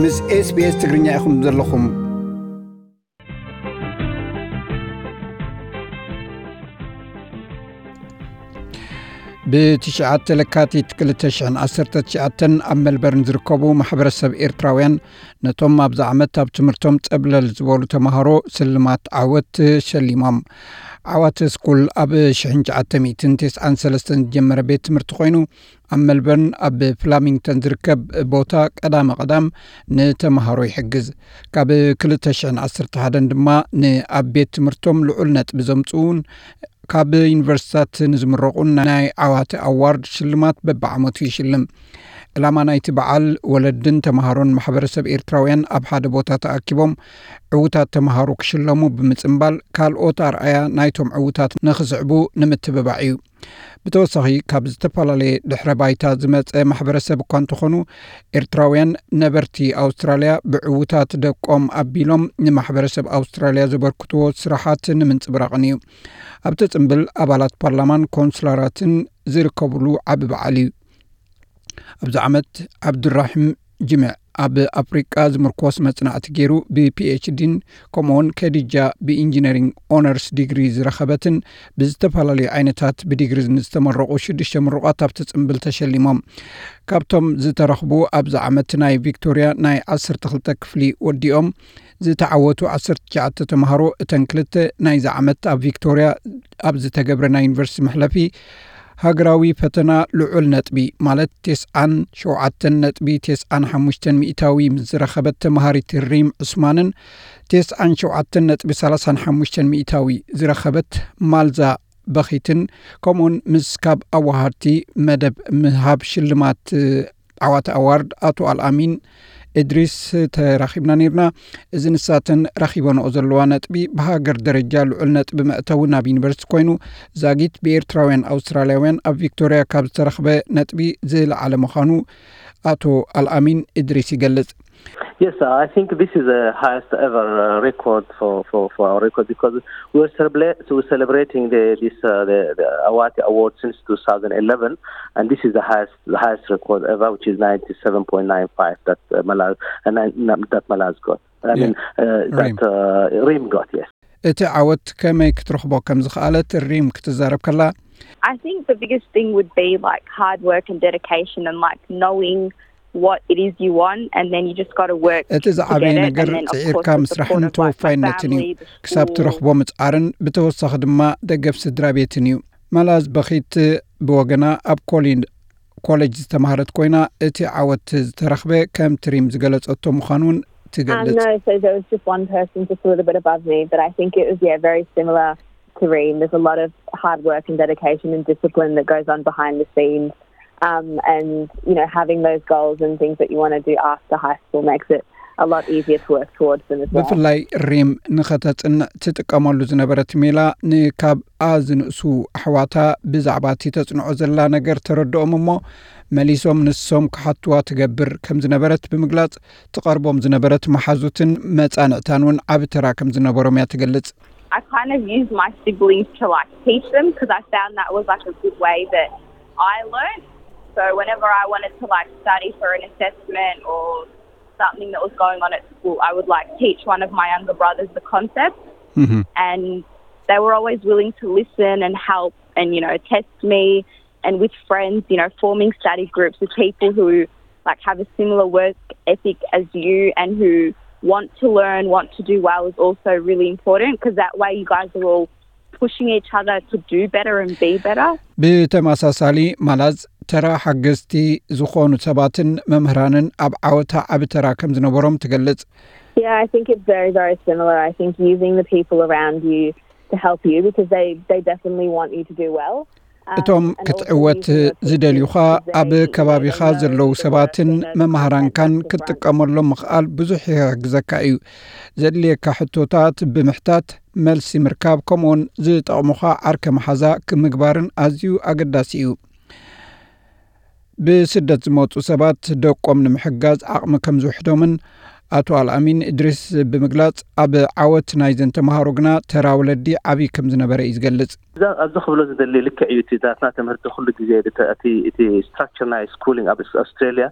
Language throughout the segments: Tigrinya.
ምስ SBS ትግርኛ ኢኹም ዘለኹም። ብትሽዓተ ለካቲት ክልተ ሽሕን ዓሰርተ ትሽዓተን ኣብ ሜልበርን ዝርከቡ ማሕበረሰብ ኤርትራውያን ነቶም ኣብዚ ዓመት ኣብ ትምህርቶም ጸብለል ዝበሉ ተምሃሮ ስልማት ዓወት ሸሊሞም። ዓዋተ ስኩል ኣብ ሽሕን ትሽዓተ ሚእትን ተስዓን ሰለስተን ዝጀመረ ቤት ትምህርቲ ኮይኑ ኣብ ሜልበርን ኣብ ፍላሚንግተን ዝርከብ ቦታ ቀዳመ ቀዳም ንተምሃሮ ይሕግዝ። ካብ ክልተ ሽሕን ዓሰርተ ሓደን ድማ ንኣብ ቤት ትምህርቶም ልዑል ነጥቢ ዘምጽኡን ካብ ዩኒቨርሲታት ንዝምረቑን ናይ ዓዋተ ኣዋርድ ሽልማት በብዓመቱ ይሽልም። ዕላማ ናይቲ በዓል ወለድን ተምሃሮን ማሕበረሰብ ኤርትራውያን ኣብ ሓደ ቦታ ተኣኪቦም ዕዉታት ተምሃሮ ክሽለሙ ብምጽንባል ካልኦት ኣርኣያ ናይቶም ዕዉታት ንኽስዕቡ ንምትብባዕ እዩ። ብተወሳኺ ካብ ዝተፈላለየ ድሕረ ባይታ ዝመጸ ማሕበረሰብ እኳ እንተኾኑ ኤርትራውያን ነበርቲ ኣውስትራልያ ብዕዉታት ደቆም ኣቢሎም ንማሕበረሰብ ኣውስትራልያ ዘበርክትዎ ስራሓት ንምንጽብራቕን እዩ። ኣብቲ ጽምብል ኣባላት ፓርላማን ኮንስላራትን ዝርከብሉ ዓቢ በዓል እዩ። ኣብዚ ዓመት ዓብዱራሒም ጅምዕ ኣብ ኣፍሪቃ ዝምርኮስ መጽናዕቲ ገይሩ ብፒኤችዲን ከምኡውን ከዲጃ ብኢንጂነሪንግ ኦነርስ ዲግሪ ዝረኸበትን ብዝተፈላለዩ ዓይነታት ብዲግሪ ዝተመረቑ ሽዱሽተ ምሩቓት ኣብቲ ጽምብል ተሸሊሞም። ካብቶም ዝተረኽቡ ኣብዚ ዓመት ናይ ቪክቶሪያ ናይ ዓሰርተ ክልተ ክፍሊ ወዲኦም ዝተዓወቱ ዓሰርተ ትሽዓተ ተምሃሮ እተን ክልተ ናይዚ ዓመት ኣብ ቪክቶሪያ ኣብ ዝተገብረ ናይ ዩኒቨርሲቲ መሕለፊ ሃገራዊ ፈተና ልዑል ነጥቢ ማለት ተስዓን ሸውዓተን ነጥቢ ተስዓን ሓሙሽተን ሚእታዊ ምስ ዝረኸበት ተምሃሪት ሪም ዑስማንን ተስዓን ሸውዓተን ነጥቢ ሰላሳን ሓሙሽተን ሚእታዊ ዝረኸበት ማልዛ በኺትን ከምኡውን ምስ ካብ ኣዋሃድቲ መደብ ምሃብ ሽልማት ዓዋተ ኣዋርድ ኣቶ ኣልኣሚን እድሪስ ተራኺብና ነይርና። እዚ ንሳተን ረኺበንኦ ዘለዋ ነጥቢ ብሃገር ደረጃ ልዑል ነጥቢ መእተዊ ናብ ዩኒቨርሲቲ ኮይኑ ዛጊት ብኤርትራውያን ኣውስትራልያውያን ኣብ ቪክቶሪያ ካብ ዝተረኽበ ነጥቢ ዝለዓለ ምዃኑ ኣቶ ኣልኣሚን እድሪስ ይገልጽ። Yes, I think this is the highest ever uh, record for, for, for our record because we're, celebra- we're celebrating the, this uh, the, the Awati Award since two thousand eleven, and this is the highest the highest record ever, which is ninety-seven point nine five that uh, Malaz and uh, that Malaz got. I mean uh, that uh, Rim got. Yes. እቲ ዓወት ከመይ ክትረኽቦ ከም ዝኸኣለት ሪም ክትዛረብ ከላ I think the biggest thing would be like hard work and dedication and like knowing what it is you want and then you just got to work እቲ ዝዓበየ ነገር ጽዒርካ ምስራሕን ተወፋይነትን እዩ። ክሳብ ትረኽቦ ምጽዓርን ብተወሳኺ ድማ ደገፍ ስድራ ቤትን እዩ። መላዝ በኺት ብወገና ኣብ ኮሊን ኮሌጅ ዝተማህረት ኮይና እቲ ዓወት ዝተረኽበ ከም ትሪም ዝገለጸቶ ምዃኑ እውን ትገልጽ። Um, no, so there was just one person just a little bit above me, but I think it was yeah very similar to Reem. There's a lot of hard work and dedication and discipline that goes on behind the scenes. Um, and you know, having those goals and things that you want to do after high school makes it a lot easier to work towards them as well. ብፍላይ ሪም ንኸተጽንዕ ትጥቀመሉ ዝነበረት ሜላ ንካብ ኣዝንእሱ ኣሕዋታ ብዛዕባ እቲ ተጽንዖ ዘላ ነገር ተረድኦም እሞ መሊሶም ንሶም ክሓትዋ ትገብር ከም ዝነበረት ብምግላጽ ትቐርቦም ዝነበረት መሓዙትን መጻንዕታን እውን ዓቢ ተራ ከም ዝነበሮም እያ ትገልጽ። I kind of used my siblings to like teach them because I found that was like a good way that I learned. So whenever I wanted to like study for an assessment or something that was going on at school, I would like teach one of my younger brothers the concept, mm-hmm. and they were always willing to listen and help and you know test me. And with friends, you know, forming study groups with people who like have a similar work ethic as you and who want to learn, want to do well is also really important because that way you guys are all pushing each other to do better and be better. ብተመሳሳሊ ማላዝ ተራ ሓገዝቲ ዝኾኑ ሰባትን መምህራንን ኣብ ዓወታ ዓቢ ተራ ከም ዝነበሮም ትገልጽ። Yeah, I think it's very, very similar. I think using the people around you to help you because they, they definitely want you to do well. እቶም ክትዕወት ዝደልዩኻ ኣብ ከባቢኻ ዘለዉ ሰባትን መማህራንካን ክትጥቀመሎም ምኽኣል ብዙሕ ይሕግዘካ እዩ። ዘድልየካ ሕቶታት ብምሕታት መልሲ ምርካብ ከምኡውን ዝጠቕሙኻ ዓርከ መሓዛ ምግባርን ኣዝዩ ኣገዳሲ እዩ። ብስደት ዝመፁ ሰባት ደቆም ንምሕጋዝ ዓቕሚ ከም ዝውሕዶምን ኣቶ ኣልኣሚን እድሪስ ብምግላጽ፣ ኣብ ዓወት ናይዘን ተምሃሮ ግና ተራ ወለዲ ዓብዪ ከም ዝነበረ እዩ ዝገልጽ። እዛ ኣብዚ ክብሎ ዝደሊ ልክዕ እዩ። እቲ ናትና ትምህርቲ ኩሉ ግዜ እቲ፣ እቲ፣ እቲ ስትራክቸር ናይ ስኩሊንግ ኣብ ኣውስትራልያ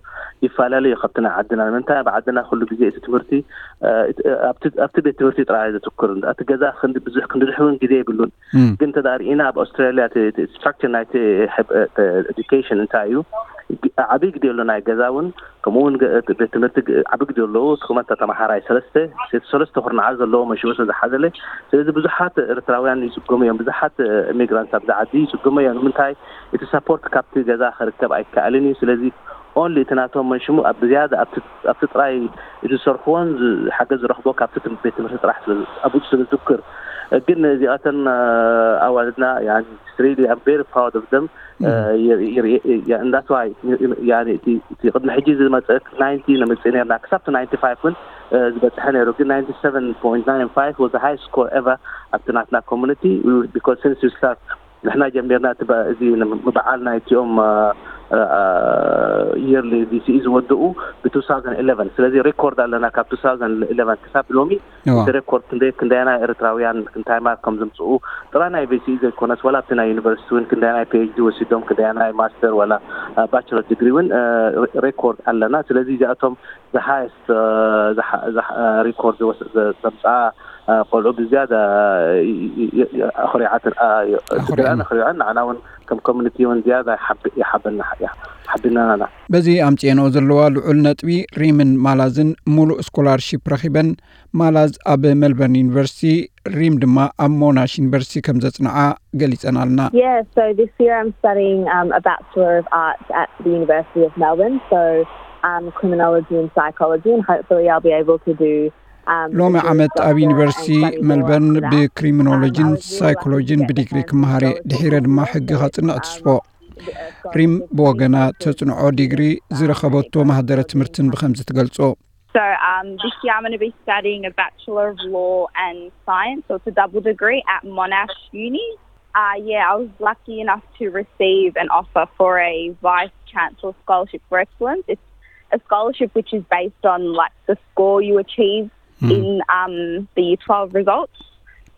ይፈላለ እዩ ካብቲ ናይ ዓድና። ንምንታይ ኣብ ዓድና ኩሉ ግዜ እቲ ትምህርቲ፣ እ፣ እቲ፣ ኣብቲ፣ ኣብቲ ቤት ትምህርቲ ጥራይ ዘትኩር፣ እቲ ገዛ ክንዲ ብዙሕ ክንዲ ድሕውን ግዜ የብሉን። ግን እንተ ደኣ ርኢና ኣብ ኣውስትራልያ እቲ፣ እቲ ስትራክቸር ናይቲ ኤዱኬሽን እንታይ እዩ? ዓብዪ ግዜ ኣሎ ናይ ገዛ እውን፣ ከምኡ እውን ገ-፣ እቲ ቤት ትምህርቲ ግ-፣ ዓቢ ግዜ ኣለዎ። እቲ ቁመት ተመሃራይ ሰለስተ፣ ሰለስተ ኩርናዓት ዘለዎ መሽሙ ስለ ዝሓዘለ፣ ስለዚ ብዙሓት ኤርትራውያን ይጽገሙ እዮም። ብዙሓት ኢሚግራንት ኣብዚ ዓዲ ይጽገሙ እዮም። ንምንታይ? እቲ ሰፖርት ካብቲ ገዛ ክርከብ ኣይከኣልን እዩ። ስለዚ ኦንሊ እቲ ናቶም መሽሙ ኣብ ዝያዳ ኣብቲ፣ ኣብቲ ጥራይ እቲ ዝሰርሕዎን ዝ-፣ ሓገዝ ዝረኽቦ ካብቲ ትም-፣ ቤት ትምህርቲ ጥራሕ ስለ ዝ-፣ ኣብኡ ስለ ዝዝክር። ግን እዚኣተን፣ እ፣ ኣዋልድና፣ ያኒ፣ it's really, I'm very proud of them. እ፣ የ-፣ የ-፣ የ-፣ የ-፣ and that's why፣ ያኒ፣ እቲ፣ እቲ ቅድሚ ሕጂ ዝመጸ ናይንቲ ነምጽእ ነርና። ክሳብ እቲ ናይንቲ ፋይቭ እውን፣ እ፣ ዝበጽሐ ነይሩ። ግን ናይንቲ ሰቨን ፖይንት ናይን ፋይቭ was the highest score ever ኣብቲ ናትና ኮሙኒቲ። We, because since we start፣ ንሕና ጀሚርና እቲ በ-፣ እዚ ን-፣ በዓል ናይቲኦም፣ እ፣ እ፣ እ፣ የርሊ ቪሲኢ ዝወድኡ ብ two thousand eleven። ስለዚ ሬኮርድ ኣለና ካብ two thousand eleven ክሳብ ሎሚ። እቲ ሬኮርድ ክንደይ፣ ክንደያና ኤርትራውያን ክንታይ ማርክ ከም ዘምጽኡ ጥራይ ናይ ቪሲኢ ዘይኮነስ፣ ዋላ ኣብቲ ናይ ዩኒቨርሲቲ እውን ክንደያናይ ፒኤችዲ ወሲዶም፣ ክንደያናይ ማስተር ዋላ፣ እ፣ ባችለር ዲግሪ እውን፣ እ፣ ሬ-፣ ሬኮርድ ኣለና። ስለዚ እዚኣቶም the highest፣ እ፣ ዝሓ-፣ ዝሓ-፣ እ፣ ሪኮርድ ዝወስ-፣ ዘ-፣ ዘምጽኣ፣ እ፣ ቆልዑ ብዝያዳ፣ እ፣ ይ-፣ ይ-፣ ይ-፣ ኣኹሪዓትን፣ እ፣ ይ-፣ ኣኹሪዐን። ስድራን ኣኹሪዐን፣ ንዓና እውን ከም ኮሚኒቲ እውን ዝያዳ ይሓብ-፣ ይሓበና፣ ይሓ-፣ ሓቢናና። በዚ ኣምጽኤንኦ ዘለዋ ልዑል ነጥቢ፣ ሪምን ማላዝን ሙሉእ ስኮላርሺፕ ረኺበን። ማላዝ ኣብ ሜልበርን ዩኒቨርሲቲ፣ ሪም ድማ ኣብ ሞናሽ ዩኒቨርሲቲ ከም ዘጽንዓ ገሊጸናልና። Yeah, so this year I'm studying, um, a Bachelor of Arts at the University of Melbourne, so, um, criminology and psychology, and hopefully I'll be able to do, um, ሎሚ ዓመት ኣብ ዩኒቨርሲቲ ሜልበርን ብክሪሚኖሎጂን ሳይኮሎጂን ብዲግሪ ክመሃር እየ። ድሒረ ድማ ሕጊ ከጽንዕ ትስፎ። ሪም ብወገና ተጽንዖ ዲግሪ ዝረኸበቶ ማህደረ ትምህርትን ብኸምዚ ትገልጾ። So, um, this year I'm gonna be studying a Bachelor of Law and Science, so it's a double degree at Monash Uni. Uh, yeah, I was lucky enough to receive an offer for a Vice Chancellor Scholarship for Excellence. It's a scholarship which is based on, like, the score you achieve in, um, the year twelve results.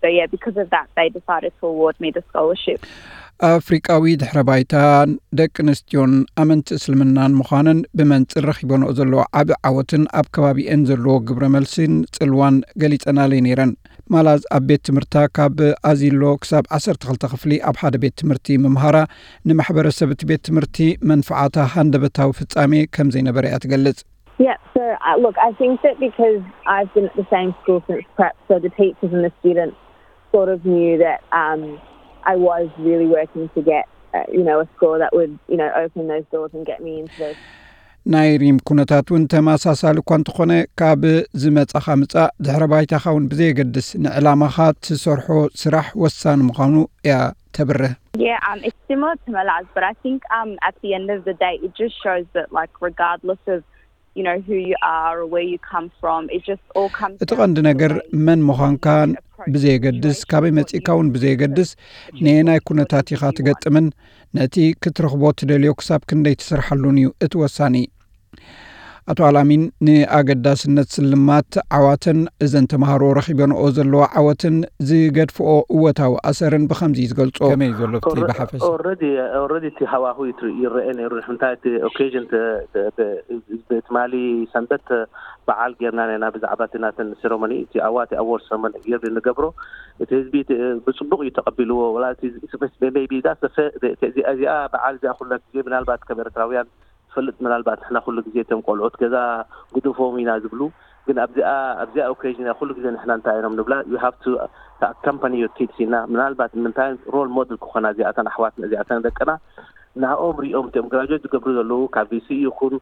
So, yeah, because of that, they decided to award me the scholarship. ኣፍሪቃዊ ድሕረ ባይታ ደቂ ኣንስትዮን ኣመንቲ እስልምናን ምዃነን ብመንጽር ረኺበንኦ ዘለዋ ዓቢ ዓወትን ኣብ ከባቢኤን ዘለዎ ግብረ መልሲን ጽልዋን ገሊጸናለይ ነይረን። ማላዝ ኣብ ቤት ትምህርታ ካብ ኣዚሎ ክሳብ ዓሰርተ ክልተ ክፍሊ ኣብ ሓደ ቤት ትምህርቲ ምምሃራ፣ ንማሕበረሰብ እቲ ቤት ትምህርቲ መንፍዓታ ሃንደበታዊ ፍጻሜ ከም ዘይነበረ እያ ትገልጽ። Yeah, so, uh, look, I think that because I've been at the same school since prep, so the teachers and the students sort of knew that, um, I was really working to get, uh, you know, a score that would, you know, open those doors and get me into those. ናይ ሪም ኩነታት እውን ተመሳሳሊ እኳ እንተኾነ፣ ካብ ዝመጻኻ ምጻእ ድሕረ ባይታኻ እውን ብዘየገድስ ንዕላማኻ ትሰርሖ ስራሕ ወሳኒ ምዃኑ እያ ተብርህ። Yeah, um, it's similar to Malaz, but I think, um, at the end of the day, it just shows that, like, regardless of, you know, who you are or where you come from, it just all comes እቲ ቀንዲ ነገር መን ምዃንካ ብዘየገድስ፣ ካበይ መጺእካ እውን ብዘየገድስ፣ ነየናይ ኩነታት ኢኻ ትገጥምን፣ ነቲ ክትረኽቦ ትደልዮ ክሳብ ክንደይ ትሰርሓሉን እዩ እቲ ወሳኒ። ኣቶ ኣላሚን ንኣገዳስነት ስልማት ዓዋተን እዘን ተምሃሮ ረኺበንኦ ዘለዋ ዓወትን ዝገድፍኦ እወታዊ ኣሰርን ብኸምዚ እዩ ዝገልጾ። ከመይ እዩ ዘሎ እቲ ብሓፈሻ? ኦረዲ፣ ኦረዲ እቲ ሃዋሁ ይትር-፣ ይረአ ነይሩ። እንታይ እቲ ኦኬዥን ተ-፣ ተ-፣ ተ-፣ ትማሊ ሰንበት በዓል ጌርና ነና ብዛዕባ እቲ ናተን ሴረሞኒ፣ እቲ ኣዋቲ ኣዎርድ ሴረሞኒ ጌር ንገብሮ፣ እቲ ህዝቢ እቲ ብጽቡቕ እዩ ተቐቢልዎ። ወላ እቲ ሜቢ ዳ እዚኣ በዓል እዚኣ ኩላ ግዜ ምናልባት ከም ኤርትራውያን ትፈልጥ፣ ምናልባት ንሕና ኩሉ ግዜ እቶም ቆልዑት ገዛ ግደፎም ኢና ዝብሉ፣ ግን ኣብዚኣ፣ ኣብዚኣ ኦኬዥን ኩሉ ግዜ ንሕና እንታይ ኢኖም ንብላ፣ you have to accompany your kids ኢና። ምናልባት ንምንታይ ሮል ሞዴል ክኾና እዚኣተን ኣሕዋትና እዚኣተን ደቅና ንዕኦም ሪኦም እቶም ግራጁዌት ዝገብሩ ዘለዉ ካብ ቪሲ ይኹን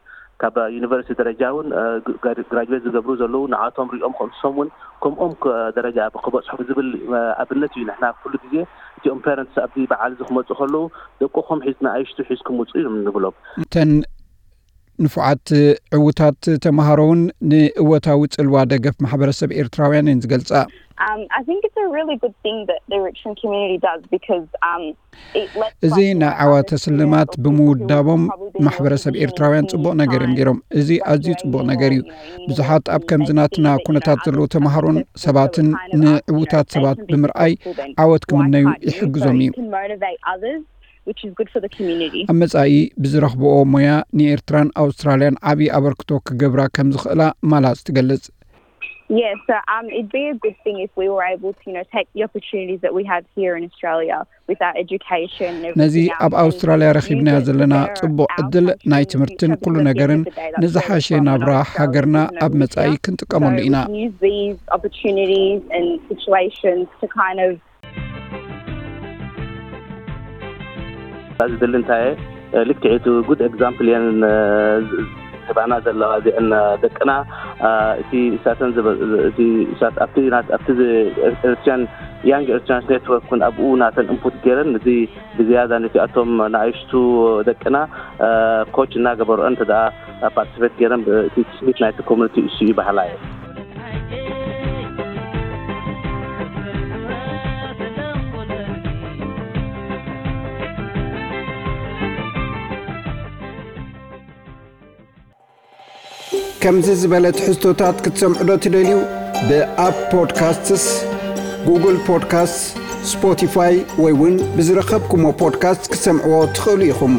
ካብ ዩኒቨርሲቲ ደረጃ እውን፣ እ፣ ግ-፣ ጋ-፣ ግራጁዌት ዝገብሩ ዘለዉ ንዓቶም ሪኦም ከም ንሶም እውን ከምኦም ክ-፣ ደረጃ ክበጽሑ ብዝብል፣ እ፣ ኣብነት እዩ። ንሕና ኩሉ ግዜ እቲኦም ፓረንትስ ኣብዚ በዓል እዚ ክመጹ ከለዉ ደቅኹም ሒዝ-፣ ንኣሽቱ ሒዝኩም ውጹ እዮም ንብሎም። እተን ንፉዓት ዕዉታት ተምሃሮ እውን ንእወታዊ ጽልዋ ደገፍ ማሕበረሰብ ኤርትራውያን እየን ዝገልጻ። Um, I think it's a really good thing that the Richmond community does because um, it lets እዚ ናይ ዓዋተ ስልማት ብምውዳቦም ማሕበረሰብ ኤርትራውያን ጽቡቕ ነገር እዮም ገይሮም። እዚ ኣዝዩ ጽቡቕ ነገር እዩ። ብዙሓት ኣብ ከምዚ ናትና ኩነታት ዘለዉ ተምሃሮን ሰባትን ንዕዉታት ሰባት ብምርኣይ ዓወት ክምነዩ ይሕግዞም እዩ። Which is good for the community. ኣብ መጻኢ ብዝረኽብኦ ሞያ ንኤርትራን ኣውስትራልያን ዓብዪ ኣበርክቶ ክገብራ ከም ዝኽእላ ማላዝ ትገልጽ። Yeah, so um, it'd be a good thing if we were able to, you know, take the opportunities that we have here in Australia with our education and ነዚ everything else ኣብ and ኣውስትራልያ ረኺብናዮ use it ዘለና for ጽቡቕ our ዕድል ናይ country ትምህርትን because ኩሉ at the ነገርን end of the day, that's what ንዝሓሸ we're from, ናብራ not Australia, ሃገርና you know, ኣብ we መጻኢ don't. ክንጥቀመሉ So ኢና። use these opportunities and situations to kind of ዝድሊ እንታይ ልክዕ እቲ ጉድ ኤግዛምፕል እየን ዝባና ዘለዋ እዚአን ደቅና። እቲ እሳተን እቲ እሳት ኣብቲ ኣብቲ ኤርትራን ያንግ ኤርትራንስ ኔትወርክ እውን ኣብኡ ናተን ኢንፑት ገይረን እዚ ብዝያዳ ነቲኣቶም ንኣይሽቱ ደቅና ኮች እናገበርኦ እንተ ደኣ ፓርቲስፔት ገይረን እቲ ስሚት ናይቲ ኮሚኒቲ እሱ እዩ ባህላ እየ። ከምዚ ዝበለ ትሕዝቶታት ክትሰምዑ ዶ ትደልዩ? ብኣፕ ፖድካስትስ፣ ጉግል ፖድካስት፣ ስፖቲፋይ ወይ እውን ብዝረኸብኩሞ ፖድካስት ክትሰምዕዎ ትኽእሉ ኢኹም።